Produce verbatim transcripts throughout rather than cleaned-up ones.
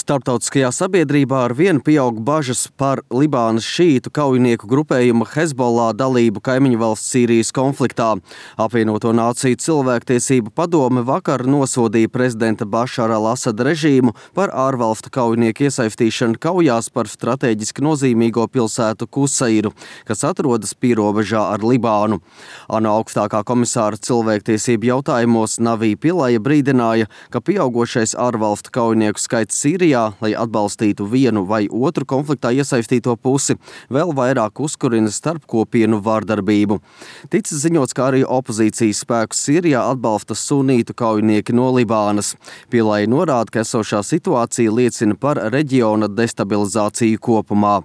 Starptautiskajā sabiedrībā ar vienu pieaug bažas par Libānas šītu kaujinieku grupējuma Hezbollah dalību kaimiņu valsts Sīrijas konfliktā. Apvienoto Nāciju cilvēktiesību padome vakar nosodīja prezidenta Bašara al-Asada režīmu par ārvalstu kaujinieku iesaistīšanu kaujās par strateģiski nozīmīgo pilsētu Kusairu, kas atrodas pierobežā ar Libānu. ANO augstākā komisāra cilvēktiesību jautājumos Navī Pilaja brīdināja, ka pieaugošais ārvalstu kaujinieku skaits Sīrijā, lai atbalstītu vienu vai otru konfliktā iesaistīto pusi, vēl vairāk uzkurina starpkopienu vardarbību. Ticis ziņots, kā arī opozīcijas spēkus Sīrijā atbalsta sunītu kaujinieki no Libānas. Pielai norāda, ka esošā situācija liecina par reģiona destabilizāciju kopumā.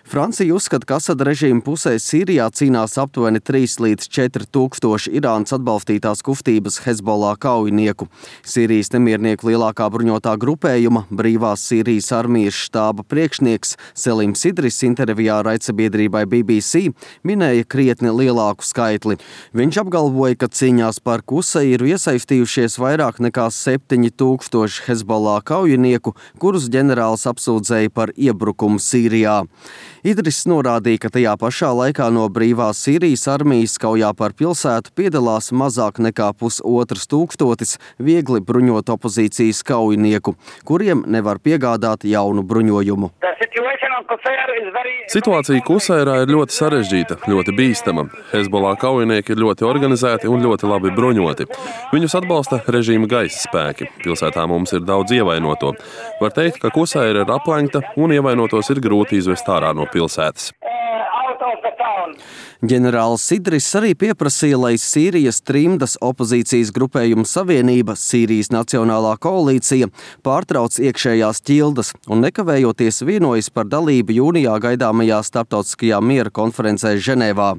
Francija uzskata, ka Asada režīma pusē Sīrijā cīnās aptuveni trīs līdz četri tūkstoši Irānas atbalstītās kustības Hezbollah kaujinieku. Sīrijas nemiernieku lielākā bruņotā grupējuma Brīvās Sīrijas armijas štāba priekšnieks Selims Idris intervijā raidsabiedrībai B B C minēja krietni lielāku skaitli. Viņš apgalvoja, ka cīņās par Kusairu iesaistījušies vairāk nekā septiņi tūkstoši Hezbollah kaujinieku, kurus ģenerālis apsūdzēja par iebrukumu Sīrijā. Idris norādīja, ka tajā pašā laikā no Brīvās Sīrijas armijas kaujā par pilsētu piedalās mazāk nekā pusotrs tūkstotis viegli bruņot opozīcijas kaujinieku, kuriem nevar piegādāt jaunu bruņojumu. Situācija Kusairā ir ļoti sarežģīta, ļoti bīstama. Hezbollah kaujinieki ir ļoti organizēti un ļoti labi bruņoti. Viņus atbalsta režīma gaisa spēki. Pilsētā mums ir daudz ievainoto. Var teikt, ka Kusaira ir aplenkta un ievainotos ir grūti izvest ārā no pilsētas. Ģenerālis Idris arī pieprasīja, lai Sīrijas trimdas opozīcijas grupējuma savienība, Sīrijas Nacionālā koalīcija, pārtrauc iekšējās ķildas un nekavējoties vienojas par dalību jūnijā gaidāmajā starptautiskajā miera konferencē Ženēvā.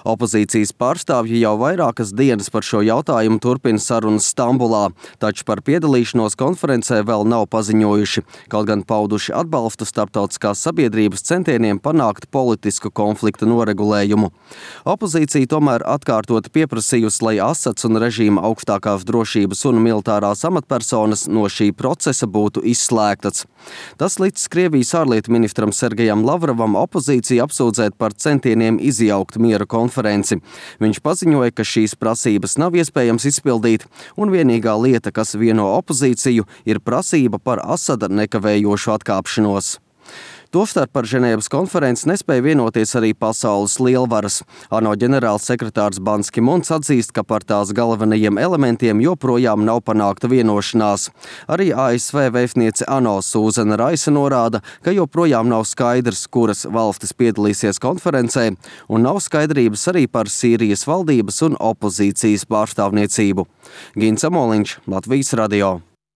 Opozīcijas pārstāvji jau vairākas dienas par šo jautājumu turpina sarunas Stambulā, taču par piedalīšanos konferencē vēl nav paziņojuši, kaut gan pauduši atbalstu starptautiskās sabiedrības centieniem panākt politisku konfliktu noregulējumu. Opozīcija tomēr atkārtoti pieprasījusi, lai Asads un režīma augstākās drošības un militārās amatpersonas no šī procesa būtu izslēgtas. Tas līdz Krievijas ārlietu ministram Sergejam Lavrovam opozīciju apsūdzēt par centieniem izjaukt miera konferenci. Viņš paziņoja, ka šīs prasības nav iespējams izpildīt, un vienīgā lieta, kas vieno opozīciju, ir prasība par Asada nekavējošu atkāpšanos. Tostarp par Ženēvas konferenci nespēja vienoties arī pasaules lielvaras. ANO ģenerāls sekretārs Bans Ki-muns atzīst, ka par tās galvenajiem elementiem joprojām nav panākta vienošanās. Arī A S V vēstniece ANO Sūzana Raisa norāda, ka joprojām nav skaidrs, kuras valstis piedalīsies konferencē, un nav skaidrības arī par Sīrijas valdības un opozīcijas pārstāvniecību. Gins Amoliņš, Latvijas radio.